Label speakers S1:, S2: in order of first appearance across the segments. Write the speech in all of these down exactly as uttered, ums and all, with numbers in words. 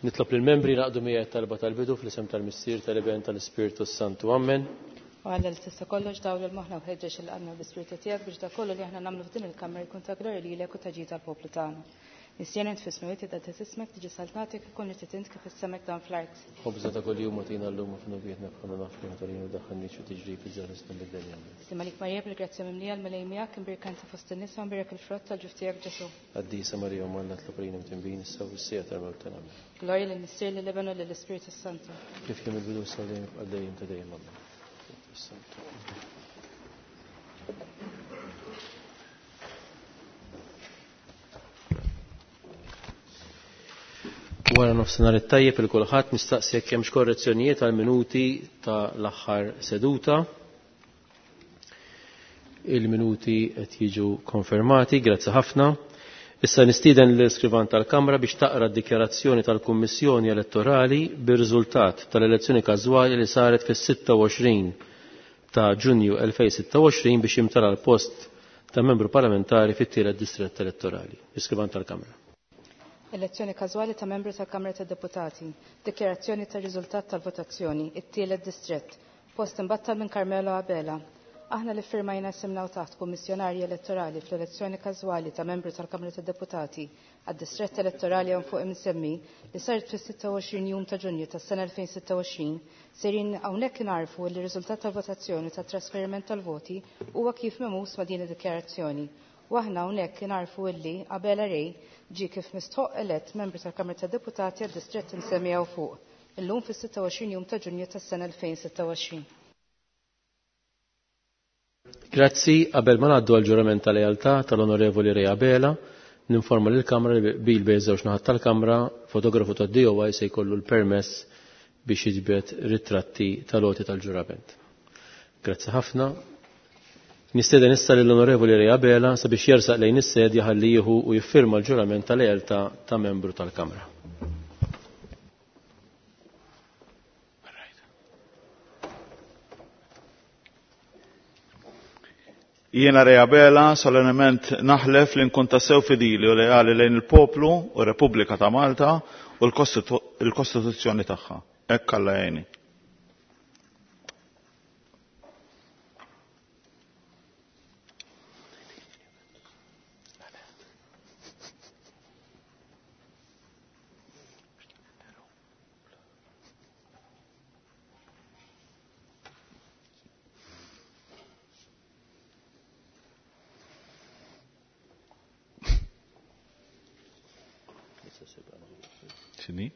S1: Nitlob lill-membri naqdu miegħi talba tal-bidu fl-isem tal-Missier, tal-Iben, tal-Ispirtu Santu. Amen.
S2: U Alla li tista' kollox dawl il-moħħna u ħeġġeġ il-qalbna bl-Ispirtu tiegħek biex dak kollu li aħna nagħmlu f'din il-kamra jkun ta' glorja lilek u ta' ġid tal-poplu tagħna. Missierna int fis-smewwiet jitqaddes ismek, tiġi saltnatek, ikun li trid int kif is-semek dan fl-art.
S1: Ħobżna ta' kuljum agħtina llum u f'dnubietna bħalma naħfru aħna li daħħalniex fi tiġrib iżda ħlisna mid-deni. Amen.
S2: Sliem għalik Marija bil-grazzja mimlija l-Mulej miegħek, imbierka inti fost in-nisa u mbierek il-frott tal-ġuf tiegħek Ġesù.
S1: Qaddisa Marija Omm Alla tlob għalina mtinbin issa u fis-siegħa tal-mewt tagħna. Amen.
S2: Glorja lill-Missier, lill-Iben u lill-Ispirtu Santu.
S1: Kif kien mill-bidu issa u dejjem għal dejjem ta' dejjem. Amen. Wara nofsinhar it-tajjeb il kulħadd, nistaqsi jekk hemmx korrezzjonijiet għal minuti ta' l-aħħar seduta. Il-minuti qed jiġu konfermati, grazzi ħafna. Issa nistieden l-iskrivan tal-Kamra biex taqra d-dikjarazzjoni tal-Kummissjoni Elettorali bir-riżultat tal-elezzjoni każwali li saret fis-sitta u għoxrin ta' Ġunju elfejn sitta u għoxrin biex jimtela l-post ta' membru parlamentari fit-tielet distrett elettorali. Iskrivan tal-Kamra.
S2: Elezzjoni każwali ta' membru tal-Kamra tad-Deputati. Dikjarazzjoni tar-riżultat tal-votazzjoni. It-tielet distrett. Post imbattal minn Carmelo Abela. Aħna li firmajna simna u taħt kummissjonarji elettorali fl-elezzjoni każwali ta' membru tal-Kamra tad-Deputati għad-distrett elettorali hawn fuq imsemmi li saret fis-sitta u għoxrin jum ta' Ġunju tas-sena elfejn sitta u għoxrin, sejrin hawnhekk inarfu li r-riżultat tal-votazzjoni tat-trasferiment tal-voti huwa kif memus ma' din id-dikjarazzjoni. U aħna hawnhekk inarfu illi Abela Ray ġie kif mistħoq elett membru tal-Kamra tad-Deputati għad-distrett imsemmi hawn fuq, illum fis-sitta u għoxrin jum ta' Ġunju tas-sena elfejn sitta u għoxrin.
S1: Grazzi, qabel ma ngħaddu għall-ġurament tal-lealtà tal-Onorevoli Ray Abela, ninforma lill-Kamra li bil bejn żewġ naħat tal-Kamra, fotografu tad-D O I se jkollu l-permess biex jiġbed ritratti tal-għoti tal-ġurament. Grazzi ħafna. Nistieden issa lill-Onorevoli Ray Abela sabiex jersaq lejn is-sedja ħalli jieħu u jiffirma l-ġurament tal-lealtà ta' membru tal-Kamra.
S3: Jiena Ray Abela solennement naħlef li nkun tassew fidili u leali lejn il-poplu u Repubblika ta' Malta u l-Kostitu-, l-Kostituzzjoni tagħha. Hekk Alla jgħinni. X'inhi?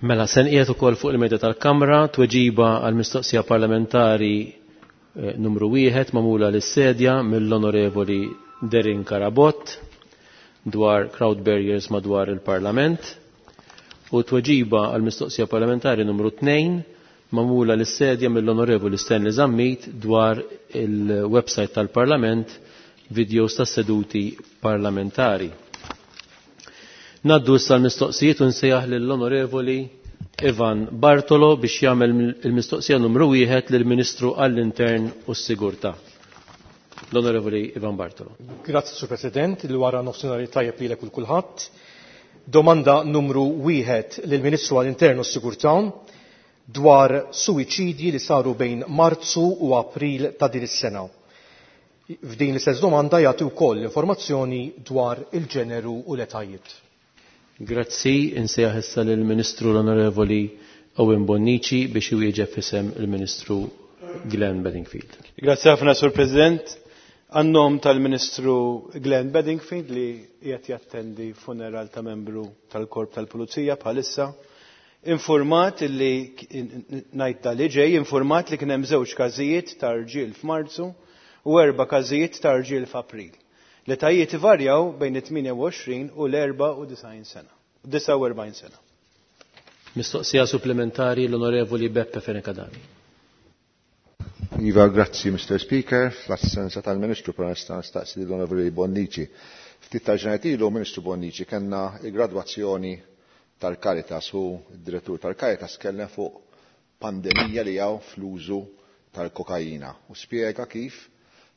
S1: Mela, se nqiegħed ukoll fuq il-medja tal-Kamra tweġiba għal mistoqsija parlamentari, eh, numru wieħed magħmula lis-sedja mill-Onorevoli Derin Carabott dwar crowd barriers madwar il-Parlament u tweġiba għal mistoqsija parlamentari numru tnejn magħmula lis-sedja mill-Onorevoli Stanley Zammit dwar il-website tal-Parlament videos tas seduti parlamentari. Naddu issa l-mistoqsijiet u nsejjaħ lill-Onorevoli Ivan Bartolo biex jagħmel il-mistoqsija numru wieħed lill-Ministru għall-Intern u s-Sigurtà. L-Onorevoli Ivan Bartolo.
S4: Grazzi, Sur President, li wara nofsinhar tajjeb lilek u kulħadd. Domanda numru wieħed lill-Ministru għall-Intern u s-Sigurtà dwar suwiċidji li saru bejn Marzu u April ta' din is-sena. F'din l-istess domanda jagħti wkoll informazzjoni dwar il-ġeneru u l-etajiet.
S1: Grazzi, insejjaħ issa lill-Ministru l-Onorevoli Owen Bonnici biex iwieġeb f'isem il-Ministru Glenn Bedingfield.
S5: Grazzi ħafna, Sur President. Għan-nom tal-Ministru Glenn Bedingfield li qiegħed jattendi funeral ta' membru tal-Korp tal-Pulizija bħalissa, informat li ngħid tal li ġej, informat li kien hemm żewġ każijiet ta' rġiel f'Marzu u erba' każijiet ta' rġiel f'April. L-etajiet ivarjaw bejn it-tmienja u għoxrin u l-erba' u disgħin sena, disgħa u erbgħin sena.
S1: Mistoqsija supplementari l-Onorevoli Beppe Fenech Adami.
S6: Iva, grazzi, Mister Speaker. Fl-assenza tal-Ministru, però nista' nistaqsi l-Onorevoli Bonnici. Ftit ta' ġranet ilu, Ministru Bonnici, kellna il-gradwazzjoni tal-Caritas u d-direttur tal-Caritas kellem fuq pandemija li hawn fl-użu tal-kokaina u spjega kif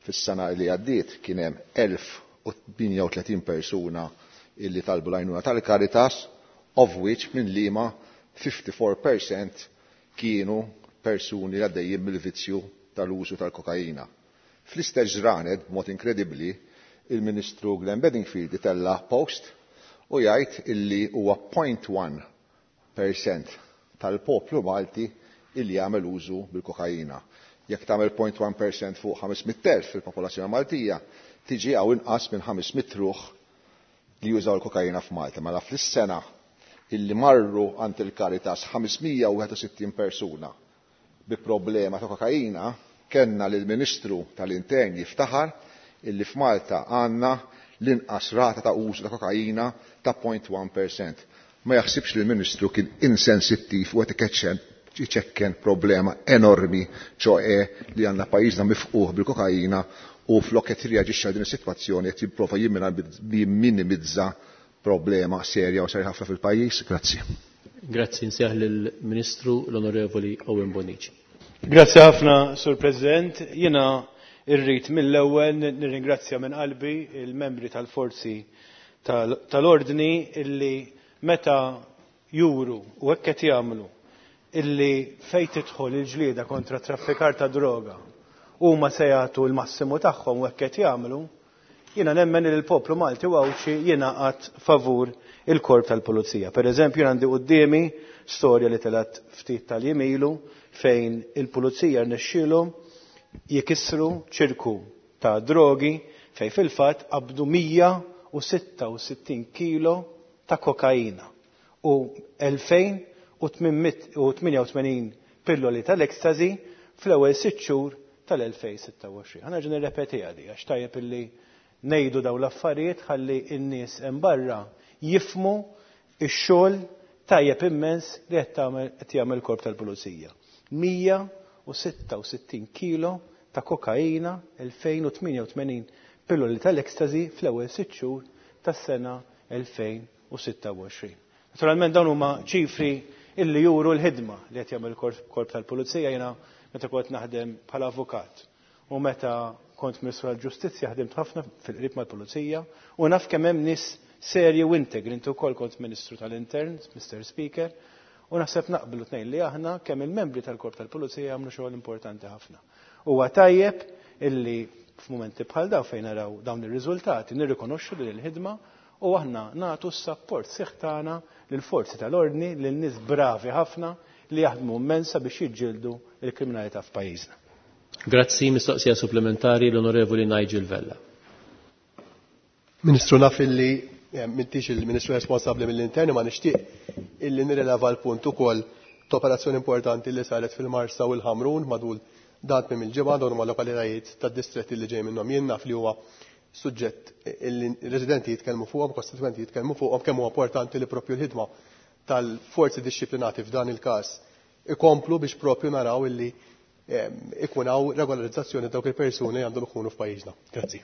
S6: fis-sena li għaddiet kien hemm elf u tmienja u tletin persuna illi talbu l-għajnuna tal-Caritas, of which minn liema fifty-four percent kienu persuni li għaddejjin mill-vizzju tal-użu tal-kokaina. Fl-istess ġranet, b'mod inkredibbli, il-Ministru Glenn Bedingfield itella' post u jgħid illi huwa point one percent tal-poplu Malti illi jagħmel użu bil-kokaina. Jekk tagħmel point one percent fuq ħames mitt elf fil-popolazzjoni Maltija, tiġi hawn inqas minn ħames mitt ruħ li jużaw il-kokaina f'Malta. Mela fl-sena illi marru għand il-Caritas ħames mija u wieħed u sittin persuna bi problema ta' kokaina, kellna lill-Ministru tal-Intern jiftaħar illi f'Malta għandna l-inqas rata ta' użu ta' kokaina ta' point one percent. Ma jaħsibx li l-Ministru kien insensittiv u qed iċekken problema enormi, ċoe li għandna pajjiżna mifquh bil-kokaina u flok qed jirreaġixxi għal din is-sitwazzjoni qed jipprova jimminimizza problema serja u serja ħafna fil-pajjiż. Grazzi.
S1: Grazzi, nsejjaħ lill-Ministru l-Onorevoli Owen Bonnici.
S5: Grazzi ħafna, Sur President. Jiena irrid mill-ewwel nirringrazzja minn qalbi il-membri tal-forzi tal-, tal-ordni illi meta juru u hekk qed jagħmlu illi fejn tidħol il-ġlieda kontra traffikar ta' droga huma se jagħtu l-massimu tagħhom u hekk qed jagħmlu, jiena nemmen li l-poplu Malti u Għawdxi jingħaqad favur il-korp tal-pulizija. Per eżempju, għandi quddiemi storja li telgħet ftit tal-jiem ilu fejn il-pulizija rnexxielhom jikissru ċirku ta' drogi fejn fil-fatt qabdu mija u sitta u sittin kilo ta' kokaina u elfejn u tmien u tmienja u tmenin pilloli tal-ekstazi fl-ewwel sitt xhur tal-elfejn sitta u għoxrin. Ħa nerġa' nirrepeti għadi għax tajjeb illi ngħidu dawn l-affarijiet ħalli n-nies hemm barra jifhmu x-xogħol tajjeb immens li qed tagħmel, qed jagħmel il-korp tal-pulizija. Mija u sitta u sittin kilo ta' kokaina, elfejn u tmienja u tmenin pilloli tal-ekstazi fl-ewwel sitt xhur tas-sena elfejn u sitta u għoxrin. Naturalment dawn huma ċifri illi juru l-ħidma li qed jagħmel il-korp, korp tal-pulizija. Jiena meta kont naħdem bħala avukat u meta kont Ministru tal-Ġustizzja ħdimt ħafna fil-qrib mal-pulizija u naf kemm hemm nies serji u integri. Inti wkoll kont Ministru tal-Intern, Mister Speaker, u naħseb naqblu tnejn li aħna kemm il-membri tal-korp tal-pulizija jagħmlu xogħol importanti ħafna. Huwa tajjeb illi f'mumenti bħal dawn fejn naraw dawn ir-riżultati nirrikonoxxu din il-ħidma u aħna nagħtu s-sapport sieħ tagħna lill-forzi tal-ordni, lil nies bravi ħafna li jaħdmu immensa biex jiġġieldu l-kriminalità f'pajjiżna.
S1: Grazzi, mistoqsija supplementari l-Onorevoli Nigel Vella.
S7: Ministru, naf illi, eh, m'intix il-Ministru responsabbli mill-interni, ma nixtieq illi nirrileva l-punt ukoll ta' operazzjoni importanti li saret fil-Marsa u l-Ħamrun madwar dan tmiem il-ġimgħa, dawn huma lokalitajiet tad-distretti li ġej minnhom. Jien naf li huwa suġġett illi residenti jitkellmu fuqhom, kostituenti jitkellmu fuqhom, kemm huwa importanti li propju l-ħidma tal-forzi dixxiplinati f'dan il-każ ikomplu biex propju naraw illi, ehm, ikun hawn regolarizzazzjoni dawk il-persuni li għandhom ikunu f'pajjiżna. Grazzi.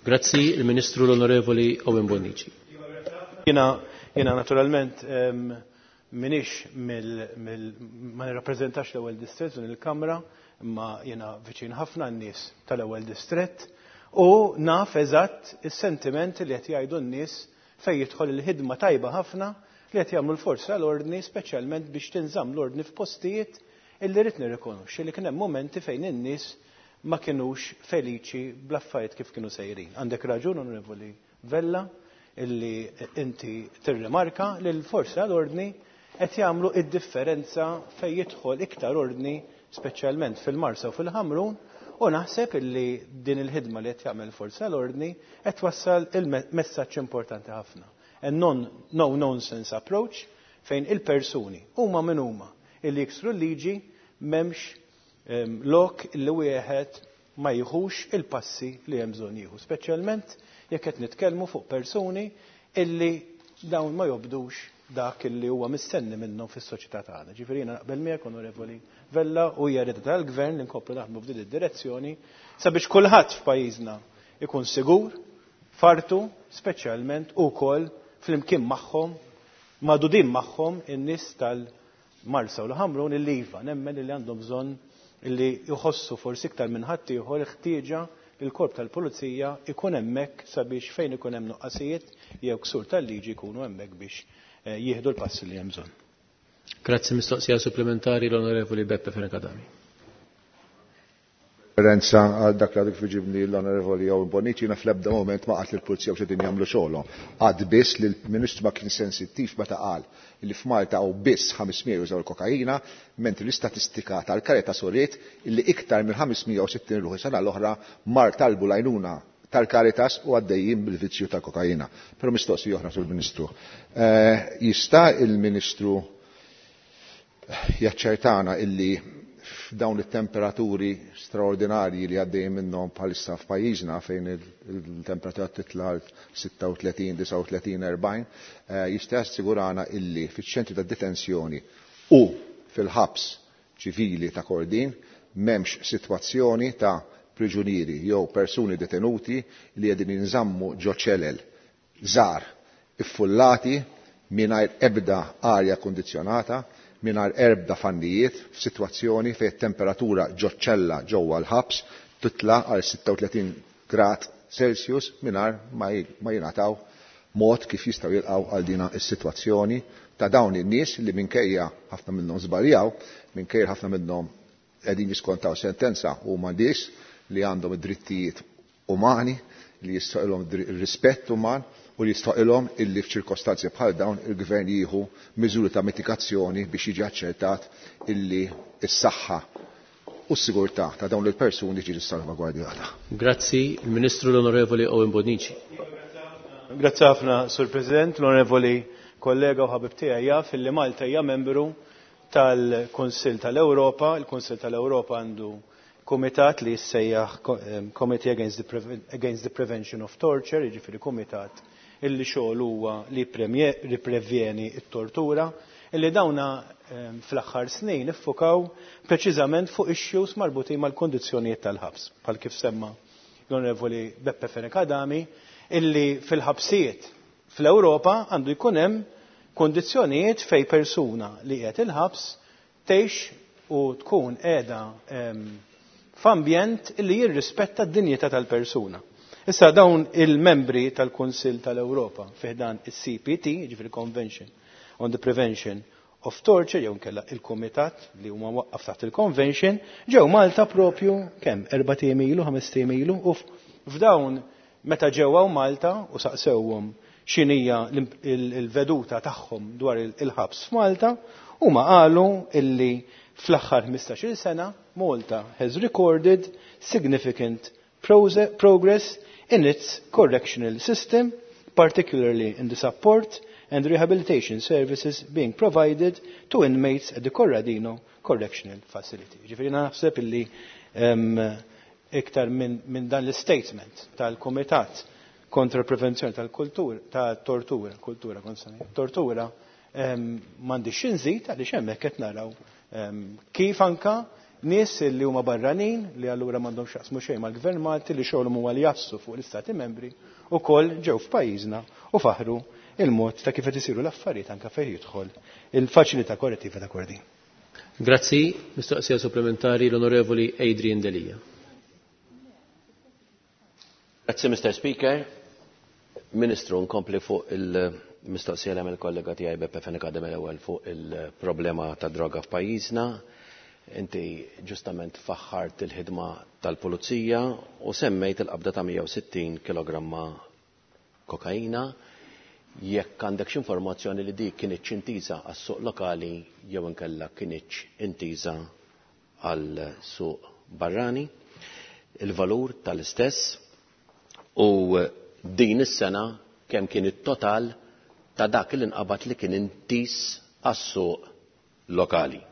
S1: Grazzi, il-Ministru l-Onorevoli Owen Bonnici.
S5: Jiena, jiena naturalment, ehm, minix mill, mill, ma nirrappreżentax l-ewwel distrett din il-Kamra, imma jiena viċin ħafna n-nies tal-ewwel distrett u naf eżatt is-sentimenti li qed jgħidu n-nies fejn jidħol il-ħidma tajba ħafna li qed jagħmlu l-forzi tal-ordni, speċjalment biex tinżamm l-ordni f'postijiet illi rrid nirrikonoxxi li kien hemm momenti fejn in-nies ma kinux feliċi bl-affarijiet kif kienu sejrin. Għandek raġun, Onorevoli Vella, illi inti tirrimarka li l-forzi tal-ordni qed jagħmlu id-differenza fejn jidħol iktar ordni, speċjalment fil-Marsa u fil-Ħamrun, u naħseb illi din il-ħidma li qed jagħmel forzi tal-ordni qed twassal il-messaġġ importanti ħafna. A non, no nonsense approach fejn il-persuni huma min huma illi jiksru l-liġi m'hemmx, ehm, lok illi wieħed ma jieħux il-passi li hemm bżonn jieħu, speċjalment jekk qed nitkellmu fuq persuni illi dawn ma jobdux dak illi huwa mistenni minnhom fis-soċjetà tagħna. Ġifieri jiena naqbel miegħek, Onorevoli Vella, u hija rieda tal-Gvern li nkomplu naħdmu f'din id-direzzjoni sabiex kulħadd f'pajjiżna ikun sigur Fartu, speċjalment ukoll flimkien magħhom, magħdudin magħhom in-nies tal-Marsa u l-Ħamrun illi iva, nemmen illi għandhom bżonn illi jħossu forsi iktar minn ħaddieħor ħtieġa li l-korp tal-pulizija ikun hemmhekk sabiex fejn ikun hemm nuqqasijiet jew ksur tal-liġi jkunu hemmhekk biex jieħdu l-passi li hemm bżonn.
S1: Grazzi. Mistoqsija supplementari l-Onorevoli Beppe Fenech Adami.
S6: Referenza għal dak li għadek fiġibni l-Onorevoli Owen Bonnici, jiena fl-ebda moment ma qalt li l-pulizija u xedin jagħmlu xogħolhom. Għad biss li l-Ministru ma kien sensittiv meta qal li f'Malta hawn biss ħames mija jużaw il-kokaina, mentri l-istatistika tal-Caritas uriet li iktar minn ħames mija u sittin ruħi sena l-oħra mar talbu l-għajnuna tal-Caritas u għaddejjin bil-vizzju tal-kokaina. Però mistoqsija oħra sul-Ministru. Jista' il-Ministru jaċċertana illi f'dawn it-temperaturi straordinarji li għaddejjin minnhom bħalissa f'pajjiżna fejn il-temperatura titla' għal sitta u tletin, disgħa u tletin, erbgħin, jista' jassigurana illi fiċ-ċentri ta' detenzjoni u fil-ħabs ċivili ta' Kordin m'hemmx sitwazzjoni ta' priġunieri jew persuni detenuti li qegħdin jinżammu ġo ċelel żgħar iffullati mingħajr ebda arja kundizzjonata, mingħajr ebda fannijiet, f'sitwazzjoni fejn it-temperatura ġo ċella ġewwa l-ħabs titla' għal sitta u tletin grad Celsius mingħajr ma jingħataw mod kif jistgħu jilqgħu għal dina s-sitwazzjoni ta' dawn in-nies li minkejja ħafna minnhom żbaljaw, minkejja ħafna minnhom qegħdin jiskontaw sentenza huma nies li għandhom id-drittijiet umani, li jistgħu ir-rispett uman u li jistgħu illi f'ċirkostanzi bħal dawn il-gvern jieħu miżuri ta' mitigazzjoni biex jiġi aċċertat illi s-saħħa u s-sigurtà ta' dawn il-persuni ġiġi salvagwardjata.
S1: Grazzi, il-Ministru l-Onorevoli Owen Bonnici.
S5: Grazzi ħafna, Sur President, l-Onorevoli kollega u ħabib tiegħi jaf illi Malta hija membru tal-Kunsill tal-Ewropa. Il-Kunsill tal-Ewropa għandu kumitat li jissejjaħ Committee Against the, Preven Against the Prevention of Torture, jiġifieri kumitat illi xogħol huwa li prevjeni t-tortura, illi dawna fl-aħħar snin iffukaw preċiżament fuq issues marbutin mal-kondizzjonijiet tal-ħabs, bħal kif semma l-Onorevoli Beppe Fenech Adami, illi fil-ħabsijiet fl-Ewropa għandu jkun hemm kondizzjonijiet fej persuna li qiegħed il-ħabs tgħix u tkun qiegħda f'ambjent illi jirrispetta d-dinjità tal-persuna. Issa dawn il-membri tal-Kunsill tal-Ewropa fi ħdan is-C P T, jiġifieri Convention on the Prevention of Torture, jew inkella il-Kumitat li huma waqqaf taħt il-Convention, ġew Malta propju kemm erba' ijiem ilu, ħames ijiem ilu, u f'dawn meta ġew hawn Malta u saqsewhom x'inhija il-veduta tagħhom dwar il-ħabs f'Malta, huma qalu illi fl-aħħar ħmistax-il sena Malta has recorded significant progress in its correctional system, particularly in the support and rehabilitation services being provided to inmates at the Corradino Correctional Facility. Ġifieri naħseb illi, em, iktar minn, minn dan l-statement tal-Kumitat kontra prevenzjoni tal-kultura, ta' tortura, kultura kontra tortura, em, m'għandix xi nżid għaliex hemmhekk qed naraw, em, kif anka nies li huma barranin li allura m'għandhomx x'jaqsmu xejn mal-Gvern Malti li xogħolhom huwa li jassu fuq l-Istati Membri ukoll ġew f'pajjiżna u faħru il-mod ta' kif qed isiru l-affarijiet anke fejn jidħol il-faċilità korrettiva ta' Kordin.
S1: Grazzi, mistoqsija supplementari l-Onorevoli Adrian Delia.
S8: Grazzi, Mister Speaker. Ministru, nkompli fuq il-mistoqsija li għamel kollega tiegħi Beppe Fenech Adami l-ewwel fuq il-problema ta' droga f'pajjiżna. Inti ġustament faħħart il-ħidma tal-pulizija u semmejt il-qabda ta' mija u sittin kilogramma kokaina. Jekk għandek xi informazzjoni li dik kinitx intiża għas-suq lokali jew inkella kinitx intiża għal-suq barrani, il-valur tal-istess u din is-sena kemm kien it-total ta' dak li nqabad li kien intiż għas-suq lokali.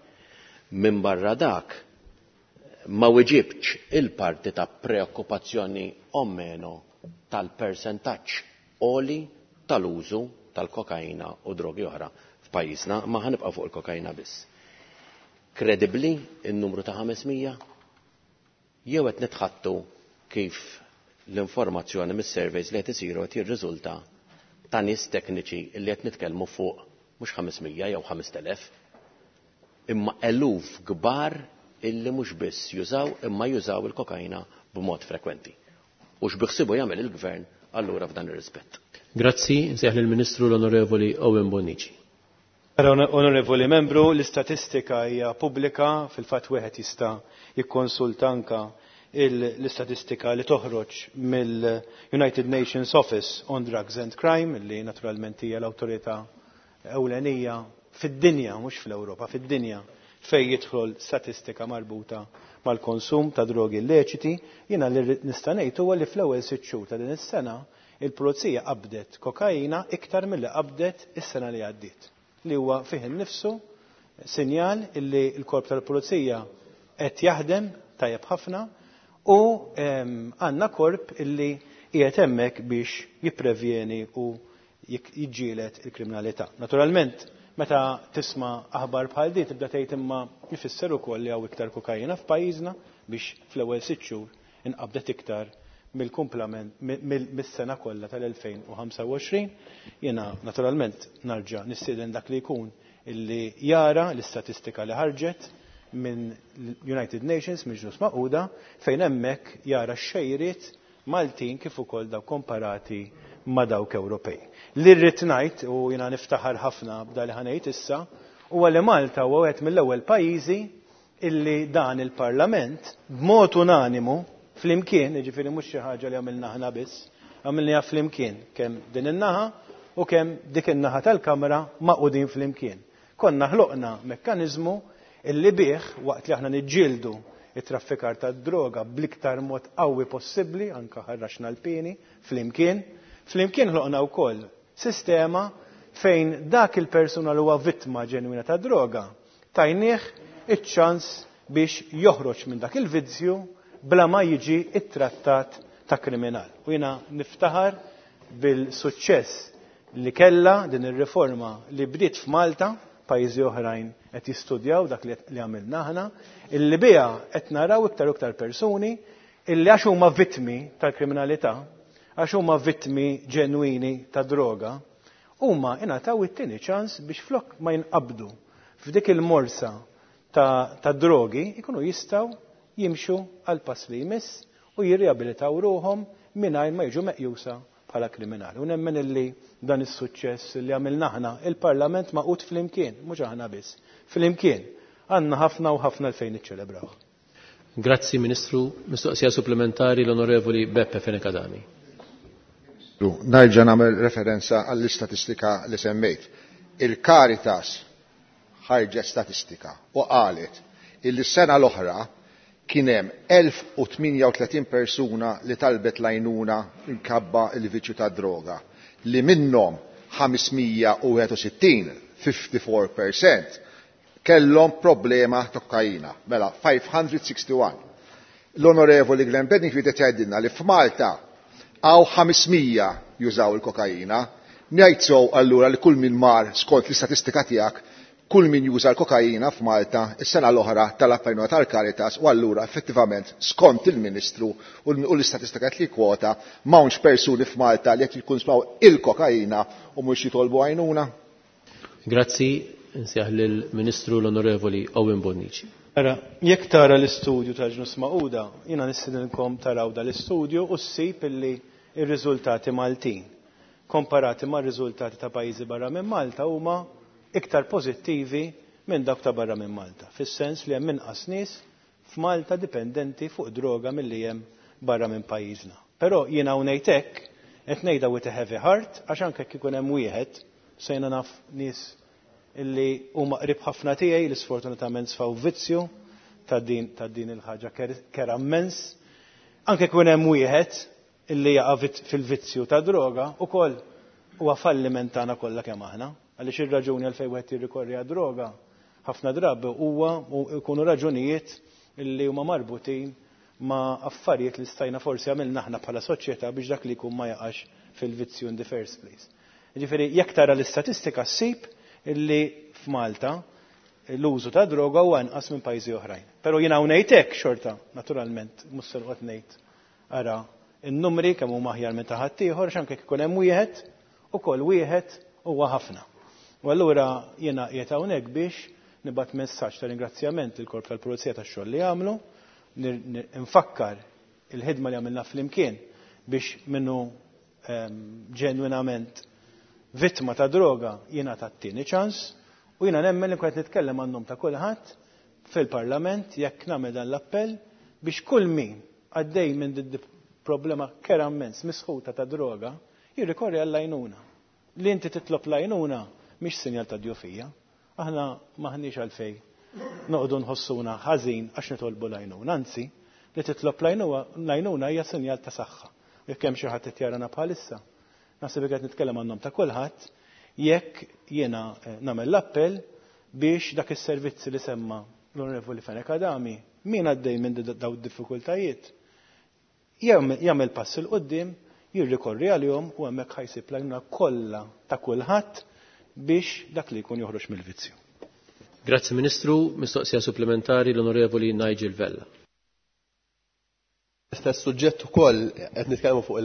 S8: Minn barra dak ma weġibx il-parti ta' preokkupazzjoni o meno tal-persentaġġ għoli tal-użu tal-kokaina u drogi oħra f'pajjiżna, ma ħanibqa' fuq il-kokaina biss. Kredibbli n-numru ta' ħames mija? Jew qed nitħattu kif l-informazzjoni mis-surveys li qed isiru qed jirriżulta ta' nies tekniċi li qed nitkellmu fuq mhux ħames mija jew ħamest elef imma eluf kbar illi mhux biss jużaw imma jużaw il-kokaina b'mod frekwenti. U x'biħsibu jagħmel il-gvern allura f'dan ir-rispett?
S1: Grazzi, nsejjaħ lill-Ministru l-Onorevoli Owen Bonnici.
S5: Onorevoli membru, l-istatistika hija pubblika, fil-fatt wieħed jista' jikkonsulta anka l-istatistika li toħroġ mill-United Nations Office on Drugs and Crime, li naturalment hija l-awtorità ewlenija fid-dinja, mhux fl-Ewropa, fid-dinja, fej jidħol statistika marbuta mal-konsum ta' drogi illeċiti. Jiena li nista' ngħid huwa li fl-ewwel sitt xhur ta' din is-sena il-pulizija qabdet kokaina iktar milli qabdet is-sena li għaddiet, li huwa fih innifsu sinjal illi l-korp tal-pulizija qed jaħdem tajjeb ħafna u għandna korp illi qiegħed hemmhekk biex jipprevjeni u jiġġieled il-kriminalità. Naturalment, meta tisma' aħbar bħal din tibda tgħid imma jfisser ukoll li hawn iktar kokaina f'pajjiżna biex fl-ewwel sitt xhur inqabdet iktar mill-kumplament mis-sena kollha tal-elfejn u ħamsa u għoxrin. Jiena naturalment narġa' nistieden dak li jkun illi jara l-istatistika li ħarġet minn United Nations, minn Ġnus Magħquda, fejn hemmhekk jara x-xejriet Maltin kif ukoll dawk komparati ma' dawk Ewropej. Li rrid ngħid, u jiena niftaħar ħafna b'da li ħa ngħid issa, huwa li Malta huwa wieħed mill-ewwel pajjiżi illi dan il-Parlament b'mod unanimu flimkien, jiġifieri mhux xi ħaġa li għamilna aħna biss, għamilniha flimkien kemm din in-naħa u kemm dik in-naħa tal-Kamra magħqudin flimkien. Konna ħloqna mekkaniżmu illi bih waqt li aħna niġġieldu it-traffikar ta' droga bl-iktar mod qawwi possibbli, anka ħarraxna l-pieni flimkien, flimkien ħloqna wkoll sistema fejn dak il-persuna li huwa vittma ġenwina ta' droga tajnieh iċ-ċans biex joħroġ minn dak il-vizzju bla ma jiġi ittrattat ta' kriminal. U jiena niftaħar bil-suċċess li kella din ir-riforma li bdiet f'Malta, pajjiżi oħrajn qed jistudjaw dak li għamilna aħna, illi biha qed naraw iktar u iktar persuni illi għax huma vittmi tal-kriminalità, għax huma vittmi ġenwini ta' droga, huma ingħataw it-tieni ċans biex flok ma jinqabdu f'dik il-morsa ta', ta drogi ikunu jistgħu jimxu għal pass li jmiss u jirriabilitaw ruhom mingħajr ma jiġu meqjusa bħala kriminali. U nemmen illi dan is-suċċess li għamilna aħna, il-Parlament magħqud flimkien, mhux aħna biss, flimkien, għandna ħafna u ħafna l-fejn niċċelebraw.
S1: Grazzi, Ministru. Mistoqsija supplementari, l-Onorevoli Beppe Fenech Adami.
S6: Nerġa' nagħmel referenza għall-istatistika li semmejt. Il-Caritas ħarġet statistika u qalet illi s-sena l-oħra kien hemm elf u tmienja u tletin persuna li talbet l-għajnuna minħabba il-viċju ta' droga, li minnhom ħames mija u wieħed u sittin, ħamsa u erbgħin fil-mija, kellhom problema ta' kokaina. Mela, ħames mija u wieħed u sittin. L-Onorevoli Glenn Bedingfield qed jgħidilna li f'Malta hawn ħames mija jużaw il-kokaina. Ngħid so allura li kull min mar, skont l-istatistika tiegħek, kull min juża l-kokaina f'Malta is-sena l-oħra talab għajnuna tal-Caritas u allura effettivament, skont il-Ministru u l-istatistika li kwota, m'hawnx persuni f'Malta li qed jikkunsmaw il-kokaina u mhux jitolbu għajnuna?
S1: Grazzi, nsejjaħ lill-Ministru l-Onorevoli Owen Bonnici.
S5: Ara, jekk tara l-istudju tal-Ġnus Magħquda, jiena nistedinkom taraw dal-istudju u ssib illi ir-riżultati Maltin komparati ma' riżultati ta' pajjiżi barra minn Malta huma iktar pożittivi minn dawk ta' barra minn Malta. Fis-sens li hemm inqas nies f'Malta dipendenti fuq droga milli hemm barra minn pajjiżna. Però jiena ngħid hekk, qed ngħidha with a heavy heart, għax anke jekk ikun hemm wieħed, sejna naf nies illi huma qrib ħafna tiegħi li sfortunatament sfaw vizzju ta' din ta' din il-ħaġa kerha immens. Anke jkun hemm wieħed illi jaqa' fil-vizzju ta' droga, ukoll huwa falliment tagħna kollha kemm aħna. Għaliex ir-raġuni għalfejn wieħed jirrikorri għad-droga ħafna drabi huwa jkunu raġunijiet illi huma marbutin ma' affarijiet li stajna forsi għamilna aħna bħala soċjetà biex dak li jkun ma jaqax fil-vizzju in the first place. Ġifieri jekk tara l-istatistika ssib illi f'Malta l-użu ta' droga huwa anqas minn pajjiżi oħrajn. Però jiena ngħid hekk xorta, naturalment, mhux se noqgħod ngħid ara in-numri kemm huma aħjar minn ta' ħaddieħor, għax anke jekk ikun hemm wieħed, ukoll wieħed huwa ħafna. U allura jiena qiegħed hawnhekk biex nibgħat messaġġ ta' ringrazzjament lill-Korp tal-Pulizija tax-xogħol li għamlu, nfakkar il-ħidma li għamilna flimkien biex minnu ġenwinament vittma ta' droga jingħata t-tieni ċans, u jiena nemmen li qed nitkellem għan-nom ta' kulħadd fil-Parlament jekk nagħmel dan l-appell biex kull min għaddej minn din problema kera immens misħuta ta' droga jirrikorri għall-għajnuna. Li inti titlob l-għajnuna mhix sinjal ta' djufija. Aħna m'aħniex għalfej noqogħdu nħossuna ħażin għax nitolbu l-għajnuna. Anzi, li titlob l-għajnuna hija sinjal ta' saħħa. Jekk hemm xi ħadd qed jarana bħalissa, naħseb qed nitkellem għan-nom ta' kulħadd jekk jiena nagħmel l-appell biex dak is-servizzi li semma l-Onorevoli Fenech Adami, min għaddej minn daw id-diffikultajiet, jagħmel pass 'il quddiem, jirrikorri għalihom u hemmhekk ħajsib l-għajnuna kollha ta' kulħadd biex dak li jkun joħroġ mill-vizzju.
S1: Grazzi Ministru, mistoqsija supplementari l-Onorevoli Nigel Vella.
S7: Stess suġġett ukoll qed nitkellmu fuq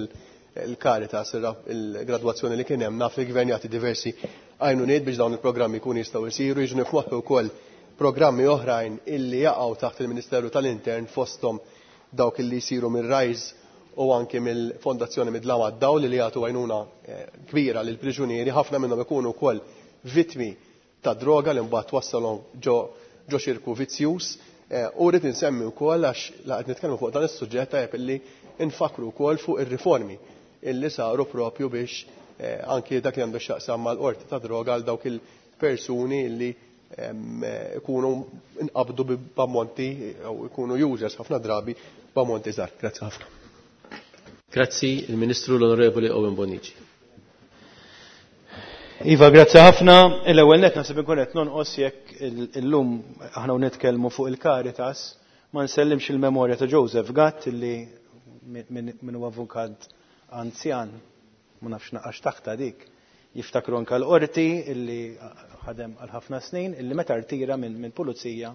S7: il-Caritas, il-gradwazzjoni li kien hemm, naf li l-Gvern jagħti diversi għajnuniet biex dawn il-programmi jkunu jistgħu jsiru, jiġu nifmoħħu wkoll programmi oħrajn illi jaqgħu taħt il-Ministeru tal-Intern fosthom dawk illi jsiru mir-RISE u anke mill-Fondazzjoni Mid-Dlam għad-Dawl li jagħtu għajnuna kbira lil priġunieri, ħafna minnhom ikunu wkoll vittmi ta' droga li mbagħad twassalhom ġo xirku vizzjuż. U rrid insemmi wkoll għax la qed nitkellmu fuq dan is-suġġett tajjeb illi nfakru wkoll fuq ir-riformi illi saru propju biex anki dak li għandu x'jaqsam mal-qorti ta' droga għal dawk il-persuni illi ikunu nqabdu b'ammonti jew ikunu users ħafna drabi b'ammonti żgħar. Grazzi ħafna.
S1: Grazzi, il-Ministru l-Onorevoli Owen Bonnici.
S5: Iva, grazzi ħafna. L-ewwel nett naħseb inkun qed nonqos jekk illum aħna nitkellmu fuq il-Caritas ma nsellimx il-memorja ta' Joseph Gatt illi min huwa avukat anzjan, ma nafx naqax taħta dik, jiftakru anke l-qorti illi ħadem għal ħafna snin, illi meta rtira minn pulizija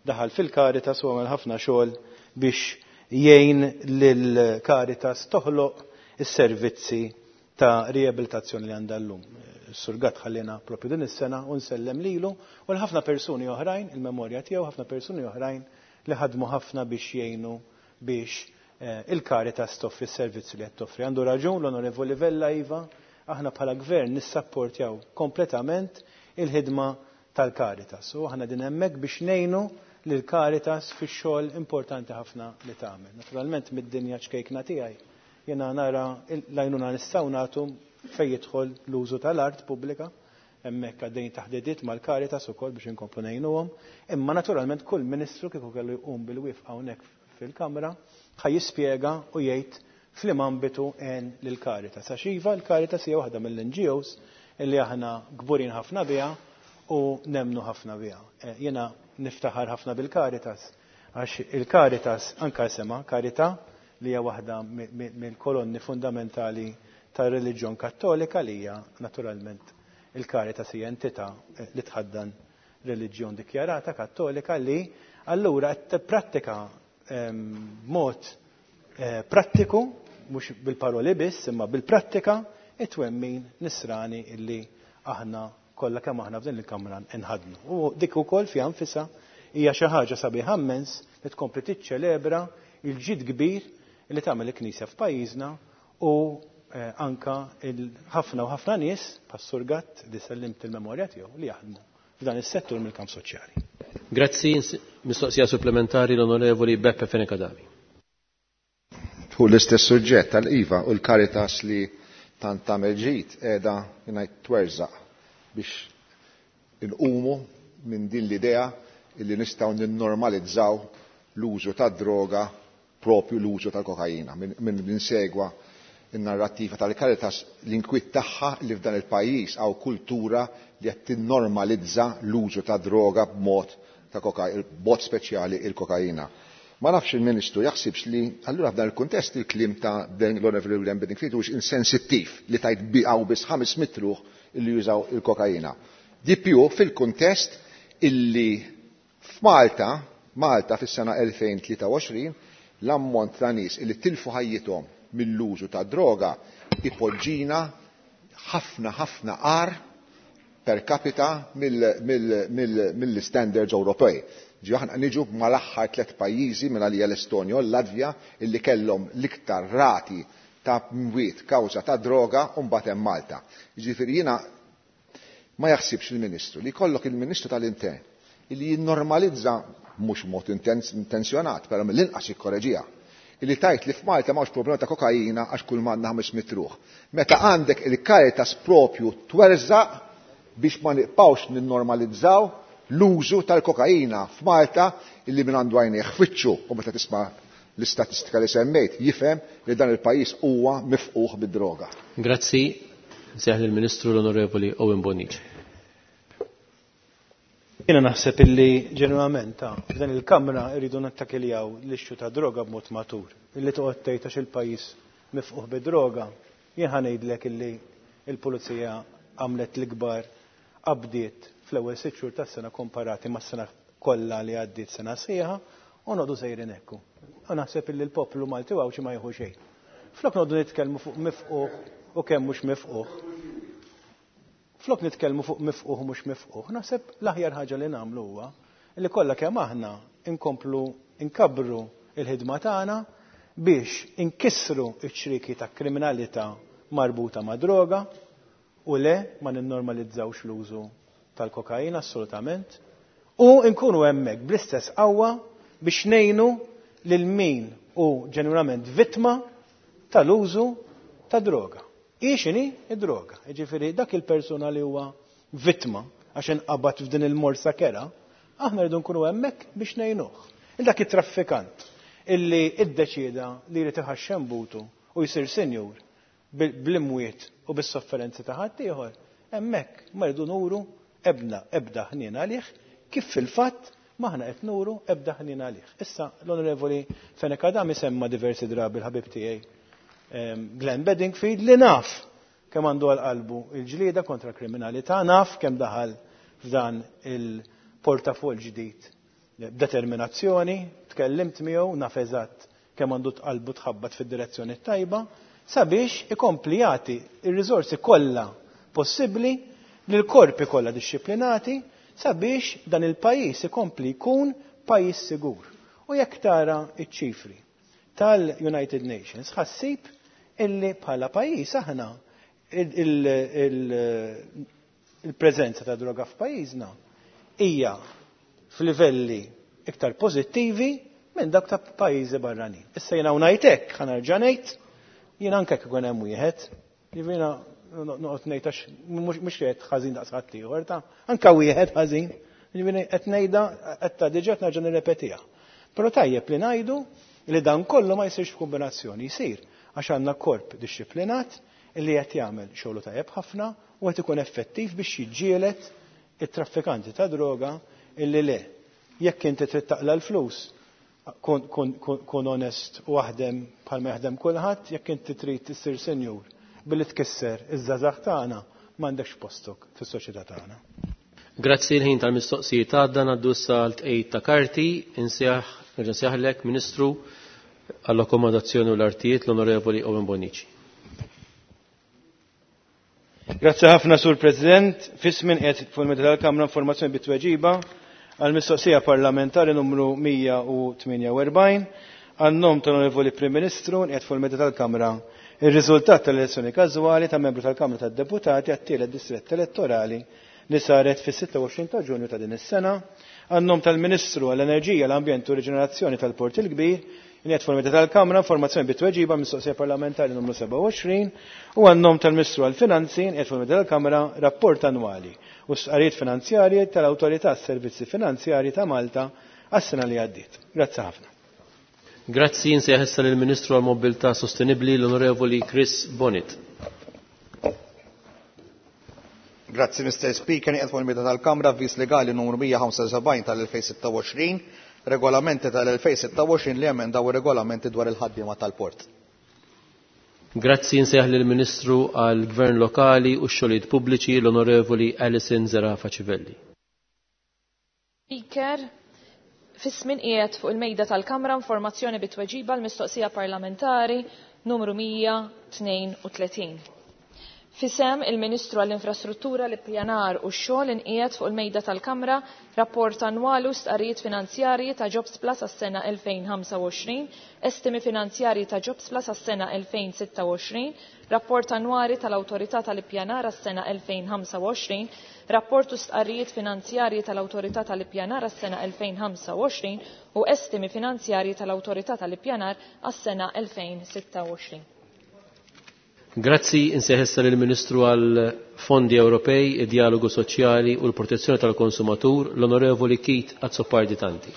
S5: daħal fil-Caritas u għamel ħafna xogħol biex jgħin lil-Caritas toħloq is-servizzi ta' riabilitazzjoni li għandha llum. Sur Gatt ħallina propju din is-sena u nsellem lilu u l-ħafna persuni oħrajn, il-memorja tiegħu, ħafna persuni oħrajn li ħadmu ħafna biex jgħinu biex il-Caritas toffri s-servizzi li qed toffri. Għandu raġun l-Onorevoli Vella, iva, aħna bħala gvern nissapportjaw kompletament il-ħidma tal-Caritas. U aħna din hemmhekk biex ngħinu lil Caritas fix-xogħol importanti ħafna li tagħmel. Naturalment mid-dinja ċkejkna tiegħi jiena nara l-għajnuna nistgħu nagħtu fejn jidħol l-użu tal-art pubblika, hemmhekk għaddejjin taħdidiet mal-Caritas ukoll biex inkomplu ngħinuhom, imma naturalment kull ministru kieku kellu jqum bil-wifqa hawnhekk fil-Kamra ħa jispjega u jgħid f'liem ambitu għen lil Caritas. Għax iva l-Caritas hija waħda mill-N G Os illi aħna kburin ħafna biha u nemnu ħafna biha. Jiena niftaħar ħafna bil-Caritas għax il-Caritas anka sema Carità li hija waħda mill-kolonni fundamentali tar-reliġjon Kattolika li hija naturalment il-Caritas hija entità li tħaddan reliġjon dikjarata Kattolika li allura qed tipprattika b'mod prattiku, mhux bil-paroli biss, imma bil-prattika it-twemmin nisrani illi aħna kollha kemm aħna f'din il-kamra nħadnu. U dik ukoll fiha nfisha hija xi ħaġa sabiħa immens li tkompli tiċċelebra il-ġid kbir li tagħmel il-Knisja f'pajjiżna u anka ħafna u ħafna nies bħas-Sur Gatt li sellimt il-memorja tiegħu li jaħdmu f'dan is-settur mill-kamp soċjali.
S1: Grazzi, mistoqsija supplementari l-Onorevoli Beppe Fenech Adami.
S6: Fuq l-istess suġġett tal-Iva u l-Caritas li tant tagħmel ġid qiegħda ngħid twerżaq biex inqumu minn din l-idea illi nistgħu ninnormalizzaw l-użu tad-droga, propju l-użu tal-kokaina. Min insegwa in-narrattiva tal-Caritas l-inkwiet tagħha li f'dan il-pajjiż hawn kultura li qed tinnormalizza l-użu ta' droga b'mod ta' kokaina, b'mod speċjali il-kokaina. Ma nafx il-Ministru jaħsibx li allura f'dan il-kuntest il-kliem ta' l-Onorevoli Glenn Bedingfield huwiex insensittiv li tajt biqgħu biss ħames mitt ruħ illi jużaw il-kokaina. Di più fil-kuntest illi f'Malta, Malta fis-sena elfejn tlieta u għoxrin, l-ammont ta' nies illi tilfu ħajjithom mill-użu ta' droga ipoġġina ħafna ħafna agħar per capita mill-standards Ewropej. Ġi aħna niġu mal-aħħar tliet pajjiżi minn għalija l-Estonja u l-Latvja illi kellhom l-iktar rati ta' mwiet kawża ta' droga u mbagħad hemm Malta. Jiġifieri jiena ma jaħsibx il-Ministru li jkollok il-Ministru tal-Intern illi jinnormalizza mhux mod intenzjonat, però mill-inqas jikkoreġiha. Illi tajt li f'Malta m'hawnx problema ta' kokaina għax kull m'għandna ħames mitt ruħ. Meta għandek il-Caritas propju twerżaq biex ma nibqgħux ninnormalizzaw l-użu tal-kokaina f'Malta illi minn għandu għajnejh fwiċċu u meta tisma' l-istatistika li semmejt jifhem li dan il-pajjiż huwa mifquħ bid-droga.
S1: Grazzi, nsejjaħ lill-Ministru l-Onorevoli Owen Bonnici.
S5: Jiena naħseb illi ġenwament f'dan il-Kamra rridu nattakiljaw l-issue ta' droga b'mod matur. Illi toqgħod tgħid għax il-pajjiż mifquħ bid-droga, jien ħa ngħidlek illi l-pulizija għamlet l-ikbar qabdiet fl-ewwel sitt xhur tas-sena komparati mas-sena kollha li għaddiet sena sħiħa u noqogħdu sejrin hekk. U naħseb illi l-poplu Malti u Għawdxi ma jieħu xejn. Flok noqogħdu nitkellmu fuq mifquħ u kemm mhux mifquħ. Flok nitkellmu fuq mifquħ u mhux mifquħ, naħseb l-aħjar ħaġa li nagħmlu huwa li kollha kemm aħna inkomplu inkabbru il-ħidma tagħna biex inkissru ċ-ċriki ta' kriminalità marbuta ma' droga u le ma ninnormalizzawx l-użu tal-kokaina assolutament u nkunu hemmhekk bl-istess qawwa biex ngħinu lil min hu ġenwinament vittma tal-użu ta' droga. Hi x'inhi id-droga? Jiġifieri dak il-persuna li huwa vittma għax inqabad f'din il-morsa kera, aħna rridu nkunu hemmhekk biex ngħinuh. Il dak it-traffikant illi iddeċieda li jrid iħaxxem butu u jsir sinjur bl-imwiet u bis-sofferenzi ta' ħaddieħor, hemmhekk ma rridu nuru ebda ebda ħnien għalih kif fil-fatt m'aħna qed nuru ebda ħnien għalih. Issa l-Onorevoli Fenech Adami semma diversi drabi l-ħabib tiegħi Glenn Bedingfield li naf kemm għandu għal qalbu il-ġlieda kontra kriminalità, naf kemm daħal f'dan il-portafol ġdid b'determinazzjoni, tkellimt miegħu, naf eżatt kemm għandu qalbu tħabbat fid-direzzjoni tajba, sabiex ikompli jagħti ir-riżorsi kollha possibbli lil korpi kollha dixxiplinati sabiex dan il-pajjiż ikompli jkun pajjiż sigur. U jekk tara iċ-ċifri tal-United Nations ħassib illi bħala pajjiż aħna il-preżenza ta' droga f'pajjiżna hija f'livelli iktar pożittivi minn dak ta' pajjiżi barranin. Issa jiena ngħid hekk, ħa nerġa' ngħid, jiena anke jekk ikun hemm wieħed, jiena noqgħod ngħid għax mhux qed ħażin daqs ħadd ieħor ta' anke wieħed ħażin, jiġifieri qed ngħidha qed ta' diġà qed nerġa' nirrepetiha. Però tajjeb li ngħidu li dan kollu ma jsirx f'kombinazzjoni, jsir għax għandna korp dixxiplinat li qed jagħmel xogħlu tajjeb ħafna u qed ikun effettiv biex jiġġieled it-traffikanti ta' droga illi le. Jekk inti trid taqla l-flus, kun onest u aħdem bħalma jaħdem kulħadd, jekk inti trid issir senjur billi tkisser iż-żgħażagħ tagħna m'għandekx postok fis-soċjetà tagħna.
S1: Grazzi l-ħin tal-mistoqsijiet għadda ngħaddu issa l-tqejjid ta' karti, insejjaħ nerġa' nsejjaħlek Ministru għall-Akkomodazzjoni u l-Artijiet l-Onorevoli Owen Bonnici.
S5: Grazzi ħafna Sur President, fismin qed fuq il-meta tal-Kamra informazzjoni bit-tweġiba għall-mistoqsija parlamentari numru mija u tmienja u erbgħin għan-nom tal-Onorevoli Prim Ministru qed fuq il-meta tal-Kamra ir-riżultat tal-elezzjoni każwali ta' membru tal-Kamra tad-Deputati għat-tielet distrett elettorali li saret fis-sitta u għoxrin ta' Ġunju ta' din is-sena, għan-nom tal-Ministru għall-Enerġija, l-Ambjent u Riġenerazzjoni tal-Port il-Kbir, qed fuq il-meta tal-Kamra informazzjoni bit-tweġiba mistoqsija parlamentari numru sebgħa u għoxrin u għan-nom tal-Ministru għall-Finanzi qed fuq il-meta tal-Kamra rapport annwali u stqarrijiet finanzjarji tal-Awtorità Servizzi Finanzjarji ta' Malta għas-sena li għaddiet. Grazzi ħafna.
S1: Grazzi, insejjaħ issa lill-Ministru għall-Mobilità Sostenibbli l-Onorevoli Chris Bonett.
S9: Grazzi, Mister Speaker, nieqed fuq il-meta tal-Kamra avviż legali numru mija ħamsa u sebgħin tal-elfejn sitta u għoxrin, regolamenti tal-elfejn sitta u għoxrin li emendaw ir-regolamenti dwar il-ħaddiema tal-port.
S1: Grazzi, insejjaħ lill-Ministru għall-Gvern Lokali u x-Xogħlijiet Pubbliċi l-Onorevoli Alison Zerafa Civelli.
S10: Speaker, fis-żmien qiegħed fuq il-mejda tal-Kamra informazzjoni bit-tweġiba l-mistoqsija parlamentari numru mija tnejn u tletin. Fisem il-Ministru għall-Infrastruttura, l-Ippjanar u x-Xogħol inqiegħed fuq il-mejda tal-Kamra rapport annwali u stqarrijiet finanzjarji ta' Jobs Plus għas-sena elfejn ħamsa u għoxrin, estimi finanzjarji ta' Jobs Plus għas-sena elfejn sitta u għoxrin, rapport annwali tal-Awtorità tal-Ippjanar għas-sena elfejn ħamsa u għoxrin, rapport u stqarrijiet finanzjarji tal-Awtorità tal-Ippjanar għas-sena elfejn ħamsa u għoxrin u estimi finanzjarji tal-Awtorità tal-Ippjanar għas-sena elfejn sitta u għoxrin.
S1: Grazzi, insejħ lill-Ministru għal Fondi Ewropej, id-Dialogu Soċjali u l-Protezzjoni tal-Konsumatur, l-Onorevoli Keith Azzopardi Tanti.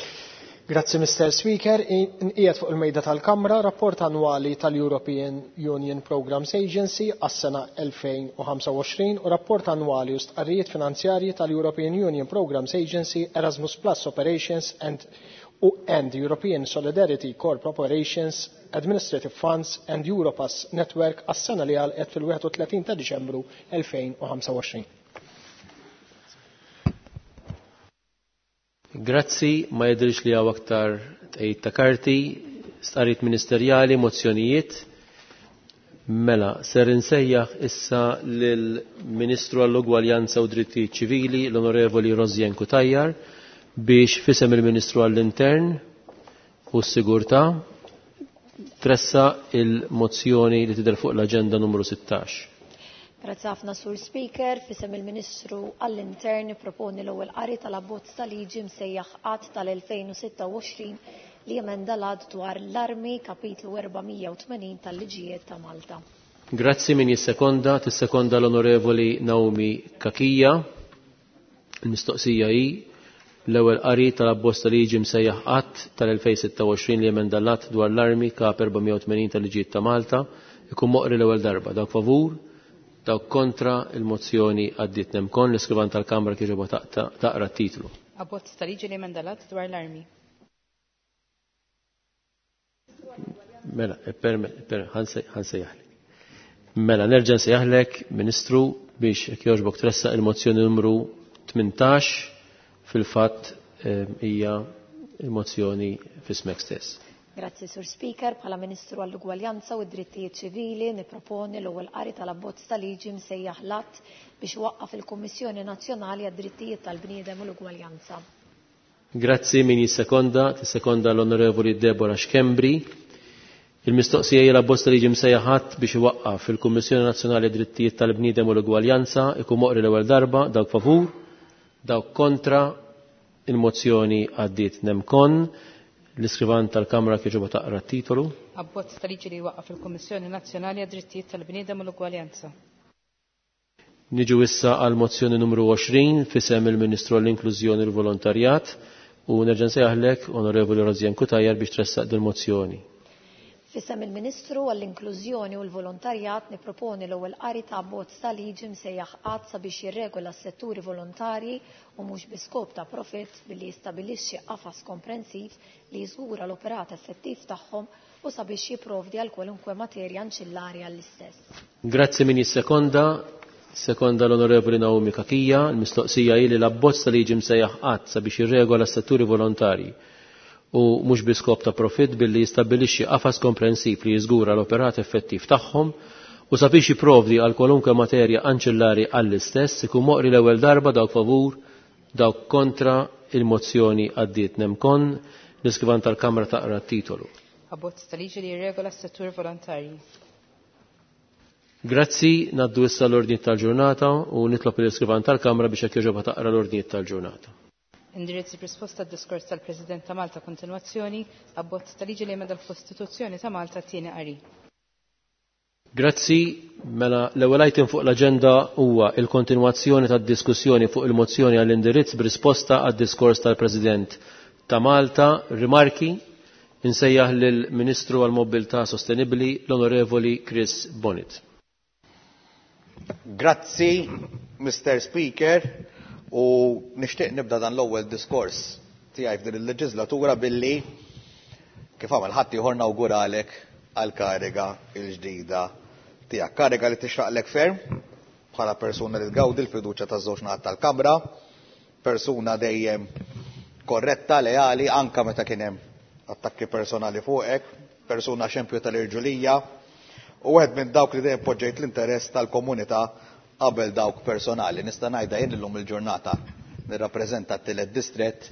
S11: Grazzi, Mister Speaker. Nqiegħed fuq il-mejda tal-Kamra rapport annwali tal-European Union Programmes Agency għas-sena elfejn u ħamsa u għoxrin u rapport annwali u stqarrijiet finanzjarji tal-European Union Programmes Agency, Erasmus Plus Operations and, and European Solidarity Corps Operations, Administrative Funds and Europass Network għas-sena li għalqet fil-wieħed u tletin ta' Diċembru elfejn u ħamsa u għoxrin.
S1: Grazzi, ma jidhirx li hawn aktar tqejjid ta' karti, stqarrijiet ministerjali, mozzjonijiet. Mela, ser insejjaħ issa lill-Ministru għall-Ugwaljanza u Drittijiet Ċivili, l-Onorevoli Rosianne Cutajar, biex fisem il-Ministru għall-Intern u s-Sigurtà tressa il-mozzjoni li tidher fuq l-aġenda numru sittax.
S12: Grazzi ħafna, Sur Speaker. Fisem il-Ministru għall-Intern proponi l-ewwel qari tal-abbozz ta' liġi msejjaħ Att tal-elfejn u sitta u għoxrin li jemenda l-Att dwar l-armi kapitlu erba' mija u tmenin tal-liġijiet ta' Malta.
S1: Grazzi, min jissekonda, tissekonda l-Onorevoli Naomi Cachia. Il-mistoqsija hi l-ewwel qari tal-abbozz ta' liġi msejjaħ Att tal-elfejn sitta u għoxrin li jemenda l-Att dwar l-armi kap erba' mija u tmenin tal-liġijiet ta' Malta ikun moqri l-ewwel darba. Dawk favur, dawk kontra, il-mozzjoni għaddiet. Nemkon l-iskrivan tal-Kamra kieġoba taqra t-titlu.
S2: Abbozz ta' liġi li jemenda l-Att dwar l-armi.
S1: Mela, ħansejjaħlek. Mela, nerġa' nsejjaħlek, Ministru, biex jekk jogħġbok tressaq il-mozzjoni numru tmintax, fil-fatt hija il-mozzjoni f'ismek stess.
S12: Grazzi, Sur Speaker. Bħala Ministru għall-Ugwaljanza u d-Drittijiet Ċivili niproponi l-ewwel qari tal-abbozz ta' liġi msejjaħ l-Att biex iwaqqaf il-Kummissjoni Nazzjonali għad-Drittijiet tal-Bniedem u l-Ugwaljanza.
S1: Grazzi, min jissekonda, tissekonda l-Onorevoli Deborah Schembri. Il-mistoqsija hija l-abbozz ta' liġi msejjaħ Att biex iwaqqaf il-Kummissjoni Nazzjonali għad-Drittijiet tal-Bniedem u l-Ugwaljanza ikun moqri l-ewwel darba. Dawk favur, dawk kontra, il-mozzjoni għaddiet. Nemkon l-iskrivan tal-Kamra kieġoba taqra t-titolu.
S2: Abbozz ta' liġi li jwaqqaf il-Kummissjoni Nazzjonali għad-Drittijiet tal-Bniedem u l-Ugwaljanza.
S1: Niġu issa għal mozzjoni numru għoxrin fisem il-Ministru għall-Inklużjoni u l-Volontarjat u nerġa' nsejjaħlek, Onorevoli Rosianne Cutajar, biex tressaq dil-mozzjoni.
S12: Fisem il-Ministru għall-Inklużjoni u l-Volontarjat niproponi l-ewwel qari ta' abbozz ta' liġi msejjaħ Att sabiex jirregola s-setturi volontarji u mhux bi skop ta' profitt billi jistabilixxi qafas komprensiv li jiżgura l-operat effettiv tagħhom u sabiex jipprovdi għal kwalunkwe materja anċillari għall-istess.
S1: Grazzi, min jissekonda, sekonda l-Onorevoli Naomi Cachia. Il-mistoqsija hi li l-abbozz ta' liġi msejjaħ Att sabiex jirregola s-setturi volontarji u mhux bi skop ta' profitt billi jistabbilixxi qafas komprensiv li jiżgura l-operat effettiv tagħhom u sabiex jipprovdi għal kwalunkwe materja anċillari għall-istess ikun moqri l-ewwel darba. Dawk favur, dawk kontra, il-mozzjoni għaddiet. Nemkon l-iskrivan tal-Kamra taqra t-titolu.
S2: Abbozz ta' liġi li jirregola s-settur volontarji.
S1: Grazzi, naddu issa l-ordni tal-ġurnata u nitlob l-iskrivan tal-Kamra biex jekk jogħġobha taqra l-ordni tal-ġurnata.
S2: Indirizzi b'risposta għad-diskors tal-President ta' Malta, kontinwazzjoni, abbozz ta' liġi li jemenda l-Kostituzzjoni ta' Malta, tieni qari.
S1: Grazzi, mela l-ewwel item fuq l-aġenda huwa il-kontinwazzjoni tad-diskussjoni fuq il-mozzjoni għall-indirizz b'risposta għad-diskors tal-President ta' Malta. Rimarki, insejjaħ lill-Ministru għall-Mobilità Sostenibbli, l-Onorevoli Chris Bonnitt.
S9: Grazzi, Mister Speaker, u nixtieq nibda dan l-ewwel diskors tiegħi f'din il-leġislatura billi kif għamel ħadd ieħor nawguralek għall-kariga l-ġdida tiegħek. Kariga li tixraqlek ferm bħala persuna li tgawdi l-fiduċja taż-żewġ naħat tal-Kamra, persuna dejjem korretta, leali, anka meta kien hemm attakki personali fuqek, persuna xempju tal-irġulija, u wieħed minn dawk li dejjem poġġejt l-interess tal-komunità qabel dawk personali. Nista' ngħidha jien illum il-ġurnata nirrappreżenta t-tielet distrett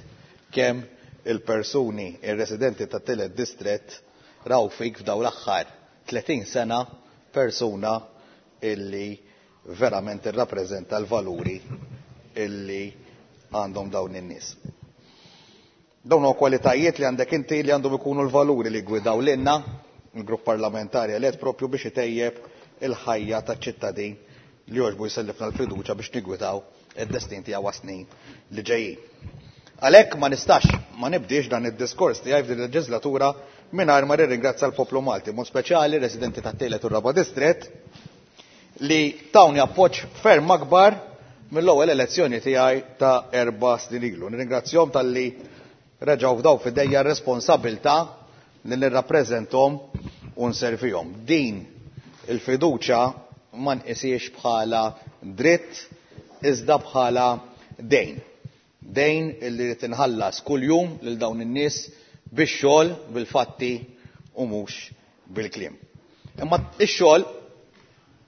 S9: kemm il-persuni, ir-residenti tat-tielet distrett raw fik f'dawn l-aħħar tletin sena persuna illi verament irrappreżenta l-valuri illi għandhom dawn in-nies. Dawn huma kwalitajiet li għandek inti li għandhom ikunu l-valuri li gwidaw lilna il-grupp parlamentari elett propju biex itejjeb il-ħajja taċ-ċittadin li jogħġbu jsellifna l-fiduċja biex nigwidaw id-destin tiegħu għas-snin li ġejjin. Għalhekk ma nistax ma nibdiex dan id-diskors tiegħi f'din il-leġislatura mingħajr ma nirringrazzja l-poplu Malti, mod speċjali residenti tat-tielet u r-raba' distrett li tawni appoġġ ferm akbar mill-ewwel elezzjoni tiegħi ta' erba' snin ilu. Nirringrazzjahom talli reġgħu fdaw f'idejja r-responsabilità li nirrappreżenthom u nservihom. Din il-fiduċja ma nqisiex bħala dritt iżda bħala dejn. Dejn illi rid inħallas kuljum lil dawn in-nies bix-xogħol, bil-fatti u mhux bil-kliem. Imma x-xogħol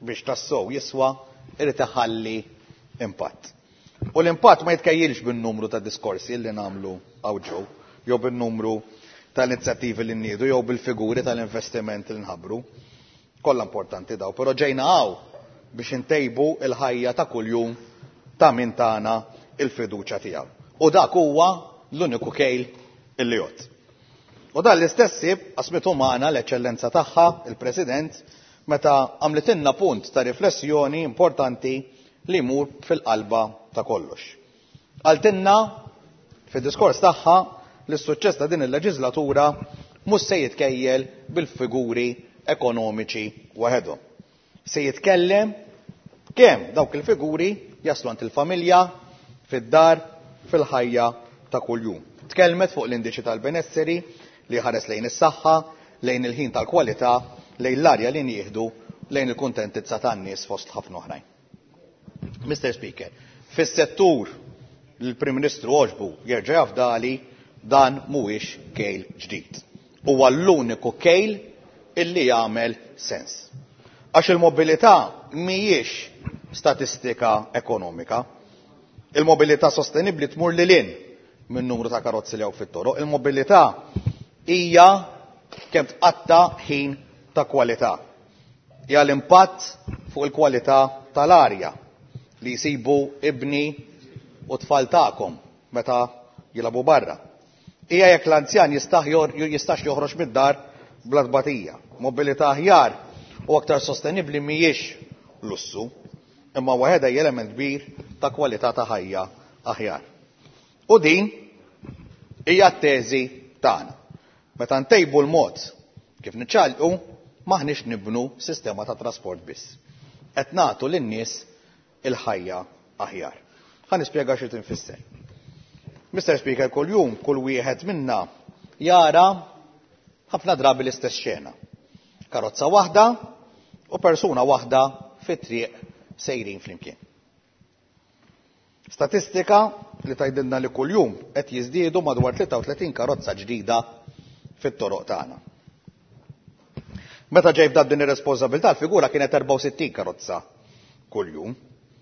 S9: biex tassew jiswa irid iħalli impatt. U l-impatt ma jitkejjilx bin-numru ta' diskorsi li nagħmlu hawn ġew, jew bin-numru tal-inizjattivi li nniedu, jew bil-figuri tal-investiment li nħabbru. Kollha importanti daw, però ġejna hawn biex intejbu l-ħajja ta' kuljum ta' min tagħna il-fiduċja tiegħu. U dak huwa l-uniku kejl illi jgħodd. U dan l-istess ħsieb qasmitu magħna l-eċċellenza tagħha, il-President, meta għamlitilna punt ta' riflessjoni importanti li jmur fil-qalba ta' kollox. Qaltilna fid-diskors tagħha li s-suċċess ta' din il-leġislatura mhux se jitkejjel bil-figuri ekonomiċi waħedhom. Se jitkellem kemm dawk il-figuri jaslu għand il-familja, fid-dar, fil-ħajja ta' kuljum. Tkellmet fuq l-indiċi tal-benesseri li ħares lejn is-saħħa, lejn il-ħin tal-kwalità, lejn l-arja li nieħdu, lejn il-kuntentizza tan-nies fost ħafna oħrajn. Mister Speaker, fis-settur li l-Prim Ministru għoġbu jerġa' jafdali dan mhuwiex kejl ġdid. Huwa l-uniku kejl illi jagħmel sens. Għax il-mobilità mhijiex statistika ekonomika. Il-mobilità sostenibbli tmur lil hinn minn numru ta' karozzi li hawn fit-toroq. Il-mobilità hija kemm tqatta' ħin ta' kwalità. Hija l-impatt fuq il-kwalità tal-arja li jsibu ibni u tfal tagħkom meta jilagħbu barra. Hija jekk l-anzjan jistax joħroġ mid-dar bla tbatija. Mobilità aħjar u aktar sostenibbli mhijiex lussu, imma waħedha hija element kbir ta' kwalità ta' ħajja aħjar. U din hija t-teżi tagħna. Meta ntejbu l-mod kif niċċaqalqu, maħniex nibnu sistema ta' trasport biss. Qed nagħtu lin-nies il-ħajja aħjar. Ħa nispjega xi tinfisser. Mister Speaker, kuljum kull wieħed minna jara ħafna drabi l-istess xena. Karozza waħda u persuna waħda fit-triq sejrin flimkien. Statistika li tgħidilna li kuljum qed jiżdiedu madwar tlieta u tletin karozza ġdida fit-toroq tagħna. Meta ġej f'dan din ir-responsabilità l-figura kienet erbgħa u sittin karozza kuljum.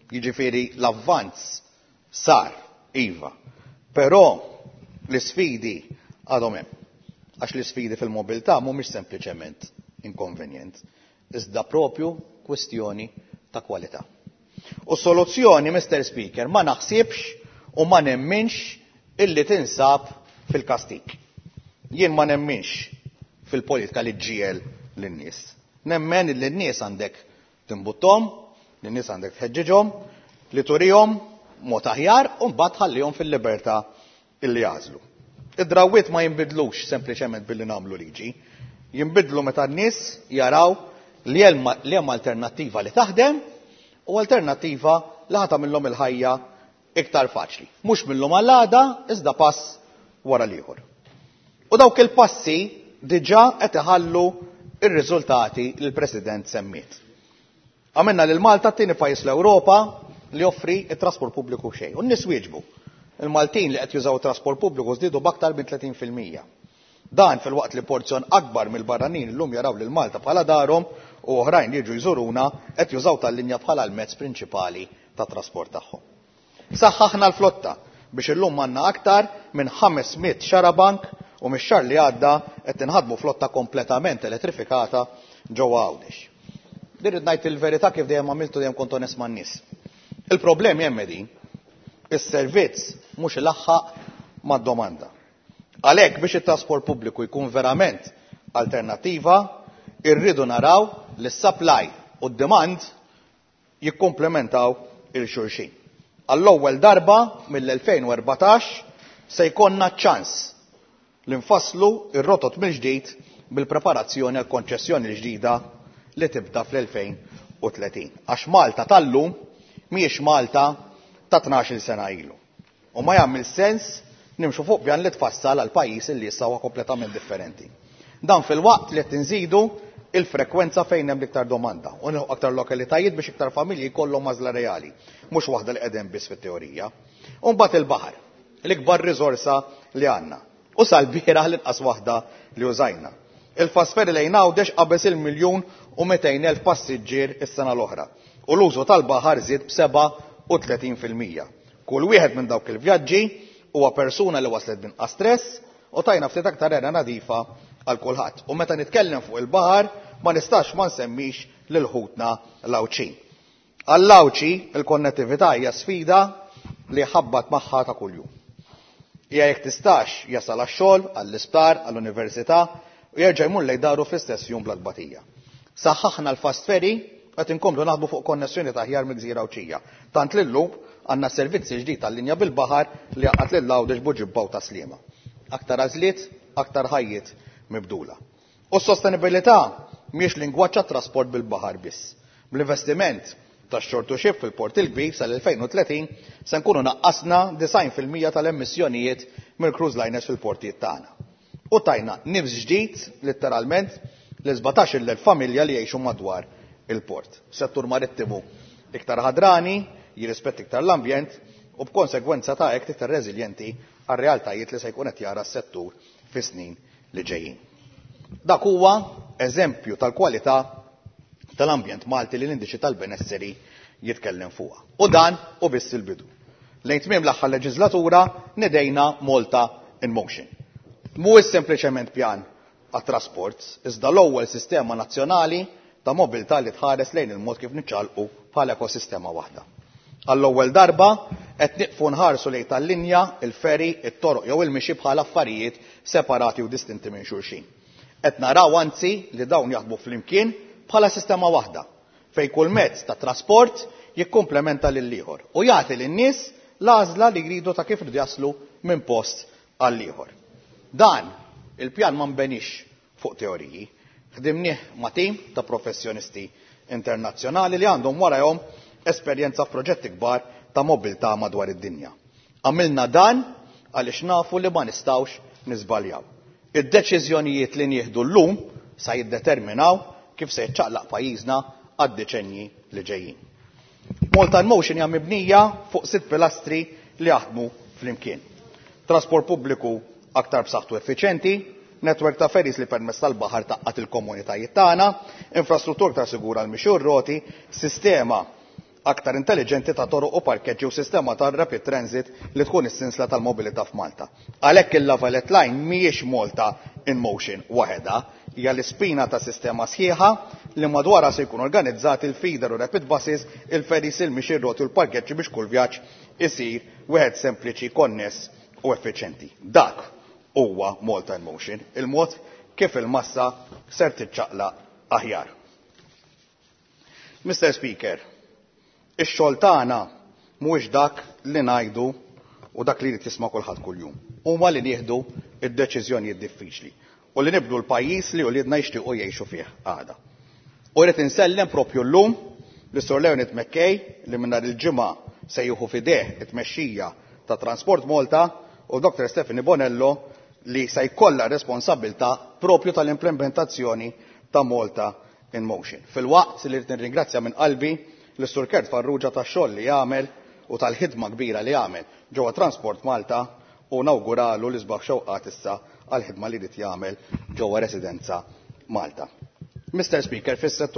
S9: Jiġifieri l-avvanz sar, iva, però l-isfidi għadhom hemm. Għax l-isfidi fil-mobilità mhumiex sempliċement inkonvenjent, iżda propju kwestjoni ta' kwalità. U soluzzjoni, Mister Speaker, ma naħsibx u ma nemminx illi tinsab fil-kastik. Jien ma nemminx fil-politika li ġġiegħel lin-nies. Nemmen illi n-nies għandek timbuttom, lin-nies għandek tħeġġiġhom, li turihom mod aħjar u mbagħad tħallihom fil-libertà illi jagħżlu. Id-drawwiet ma jinbidlux sempliċement billi nagħmlu liġi, jinbidlu meta n-nies jaraw li hemm alternattiva li taħdem u alternattiva li ħa tagħmilhom il-ħajja iktar faċli. Mhux minnhom għall-għada, iżda pass wara l-ieħor. U dawk il-passi diġà qed iħallu ir-riżultati li l-President semmiet. Għamilna lil Malta t-tieni pajjiż l-Ewropa li joffri t-trasport pubbliku xejn. U n-nies wieġbu. Il-Maltin li qed jużaw it-trasport pubbliku żdiedu b'aktar minn tletin fil-mija. Dan fil-waqt li porzjon akbar mill-barranin illum jaraw lil Malta bħala darhom u oħrajn li jiġu jżuruna qed jużaw tal-linja bħala l-mezz prinċipali ta' trasport tagħhom. Saħħaħna l-flotta biex illum għandna aktar minn ħames mitt xarabank u mix-xahar li għadda qed inħadmu flotta kompletament elettrifikata ġewwa Għawdex. Dirrid ngħid il-verità kif dejjem għamiltu, dejjem kont onest man-nies. Il-problemi hemm qegħdin. Is-servizz mhux ilaħħaq mad-domanda. Għalhekk biex it-trasport pubbliku jkun verament alternattiva, irridu naraw li s-supply u d-demand jikkomplementaw il-xulxin. Għall-ewwel darba mill-elfejn u erbatax se jkollna ċans li nfasslu ir-rotot mill-ġdid bil-preparazzjoni għal konċessjoni l-ġdida li tibda fl-elfejn u tletin. Għax Malta tal-lum mhijiex Malta ta' tnax-il sena ilu. U ma jagħmel sens nimxu fuq pjan li tfassal għal pajjiż li issa huwa kompletament differenti. Dan fil-waqt li qed inżidu il-frekwenza fejn hemm l-iktar domanda u nilħu aktar lokalitajiet biex iktar familji jkollhom għażla reali, mhux waħda li qegħdin biss fit-teorija. U mbagħad il-baħar, l-ikbar riżorsa li għandna. U sal-bieraħ l-inqas waħda li użajna. Il-fast ferry lejn Għawdex qabeż il-miljun u mitejn elf passiġġier is-sena l-oħra. U l-użu tal-baħar żied b'seba' u tletin fil-mija. Kull wieħed minn dawk il-vjaġġi huwa persuna li waslet b'inqas stress u tajna ftit aktar era nadifa għal kulħadd. U meta nitkellem fuq il-baħar ma nistax ma nsemmix lil ħutna l-Għawdxin. Għall-Għawdxi il-konnettività hija sfida li ħabbat magħha ta' kuljum. Hija jekk tistax jasal għax-xogħol, għall-isptar, għall-università u jerġa' jmur lejn daru fl-istess jum bla tbatija. Saħħaħna l-fast ferry qed inkomplu naħdmu fuq konnessjoni ta' aħjar mill-Gżira Għawdxija. Tant li llum għandna servizzi ġdid tal-linja bil-baħar li għaqad lil Għawdex Buġibba u Taslima. Aktar għażliet, aktar ħajjiet mibdula. U s-sostenibilità mhijiex lingwaġġ għat-trasport bil-baħar biss. Bl-investiment ta' shore to ship fil-Port il-Kbir sal-elfejn u tletin se nkunu naqqasna disgħin fil-mija tal-emissjonijiet mill-cruise liners fil-portijiet tagħna. U tajna nifs ġdid, letteralment, l sbatax-il elf familja li jgħixu madwar il-port. Settur marittimu iktar ħadrani, jirrispett iktar l-ambjent u b'konsegwenza ta' hekk iktar reżiljenti għar-realtajiet li se jkun qed jara s-settur fis-snin li ġejjin. Dak huwa eżempju tal-kwalità tal-ambjent Malti li l-indiċi tal-benesseri jitkellem fuqha. U dan u biss il-bidu. Lejn tmiem l-aħħar leġislatura nidejna Malta in Motion. Mhuwiex sempliċement pjan għat-trasport, iżda l-ewwel sistema nazzjonali ta' mobilità li tħares lejn il-mod kif niċċaqalqu bħala ekosistema waħda. Għall-ewwel darba qed nieqfu nħarsu lejn tal-linja, il-ferry, it-toroq jew il-mixi bħala affarijiet separati u distinti minn xulxin. Qed naraw anzi li dawn jaħdmu flimkien bħala sistema waħda, fejn kull mezz ta' trasport jikkumplementa lil ieħor u jagħti lin-nies l-għażla li jridu ta' kif jridu jaslu minn post għal ieħor. Dan il-pjan ma nbenix fuq teoriji, ħdimnieh ma' tim ta' professjonisti internazzjonali li għandhom warahom esperjenza f'proġetti kbar ta' mobilità madwar id-dinja. Għamilna dan għaliex nafu li ma nistgħux niżbaljaw. Id-deċiżjonijiet li nieħdu llum sa jiddeterminaw kif se jiċċaqlaq pajjiżna għad-deċenji li ġejjin. Malta in Motion hija mibnija fuq sitt pilastri li jaħdmu flimkien. Trasport pubbliku aktar b'saħħtu effiċjenti, netwerk ta' ferries li permezz tal-baħar taqqat il-komunitajiet tagħna, infrastruttura aktar sigura għal mixi u r-roti, sistema aktar intelligenti ta' toroq u parkeġġi u sistema ta' rapid transit li tkun is-sinsla tal-mobilità f'Malta. Għalhekk il-La Valette Line mhijiex Malta in Motion waħedha, hija l-ispina ta' sistema sħiħa li madwarha se jkunu organizzati il-feeder u rapid buses, il-ferries, il-mixi, r-roti u l-parkeġġi biex kull vjaġġ isir wieħed sempliċi, konness u effiċjenti. Dak huwa Malta in Motion, il-mod kif il-massa ser tiċċaqlaq aħjar. Mister Speaker, ix-xogħol tagħna mhuwiex dak li ngħidu u dak li jrid jisma' kulħadd kuljum. Huma li nieħdu id-deċiżjonijiet diffiċli u li nibdu l-pajjiż li uliedna jixtiequ jgħixu fih għada. U rrid insellem propju llum li Sur Leonid McKay li minn nhar il-ġimgħa se jieħu f'idejh it-tmexxija ta' Transport Malta u Doctor Stephanie Bonello li se jkollha responsabilità propju tal-implementazzjoni ta' Malta in Motion. Fil-waqt li rrid nirringrazzja minn qalbi l-Sur Kurt Farrugia tax-xogħol li jagħmel u tal-ħidma kbira li jagħmel ġewwa Transport Malta u nawguralu l-isbaħ xewqat issa għall-ħidma li jrid jagħmel ġewwa Residenza Malta. Mister Speaker, fis-settur